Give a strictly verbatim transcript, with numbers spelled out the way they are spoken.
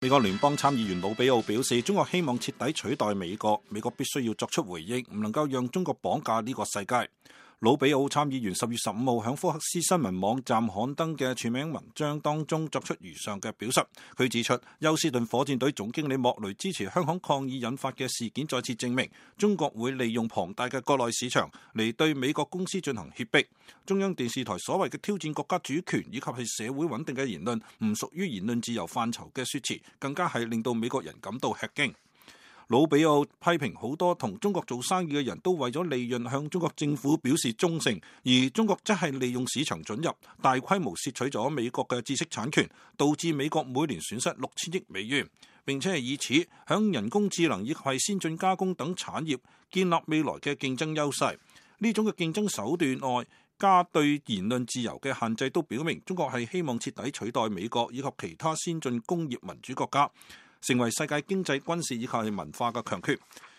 美國聯邦參議員魯比奧表示，中國希望徹底取代美國，美國必須要作出回應，唔能夠讓中國綁架呢個世界。魯比奧參議員十月十五號響福克斯新聞網站刊登嘅署名文章當中作出如上嘅表述。佢指出，休斯頓火箭隊總經理莫雷支持香港抗議引發嘅事件，再次證明中國會利用龐大嘅國內市場嚟對美國公司進行脅迫。中央電視台所謂嘅挑戰國家主權以及係社會穩定嘅言論，唔屬於言論自由範疇嘅說辭，更加係令到美國人感到吃驚。魯比奧批評好多同中國做生意嘅人都為咗利潤向中國政府表示忠誠，而中國則係利用市場准入，大規模竊取咗美國嘅知識產權，導致美國每年損失六千億美元，並且係以此響人工智能以及係先進加工等產業建立未來嘅競爭優勢。呢種嘅競爭手段外，加對言論自由嘅限制，都表明中國係希望徹底取代美國以及其他先進工業民主國家，成為世界經濟、軍事以及係文化嘅強權。